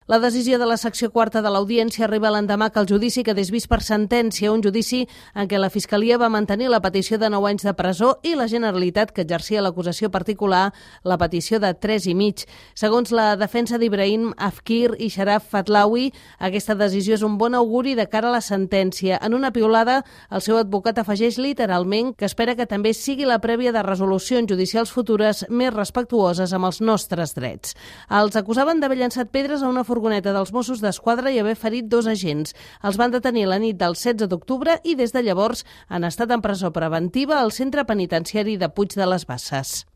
La decisió de la secció quarta de l'Audiència arriba l'endemà que el judici quedés vist per sentència, un judici en què la Fiscalia va mantenir la petició de 9 anys de presó i la Generalitat, que exercia l'acusació particular, la petició de 3 i mig. Segons la defensa d'Ibrahim Afkir i Sharaf Fatlawi, aquesta decisió és un bon auguri de cara a la sentència. En una piulada, el seu advocat afegeix literalment que espera que també sigui la prèvia de resolucions judicials futures més respectuoses amb els nostres drets. Els acusaven d'haver llançat pedres a una furgoneta dels Mossos d'Esquadra i haver ferit 2 agents. Els van detenir la nit del 16 d'octubre i des de llavors han estat en presó preventiva al centre penitenciari de Puig de les Basses.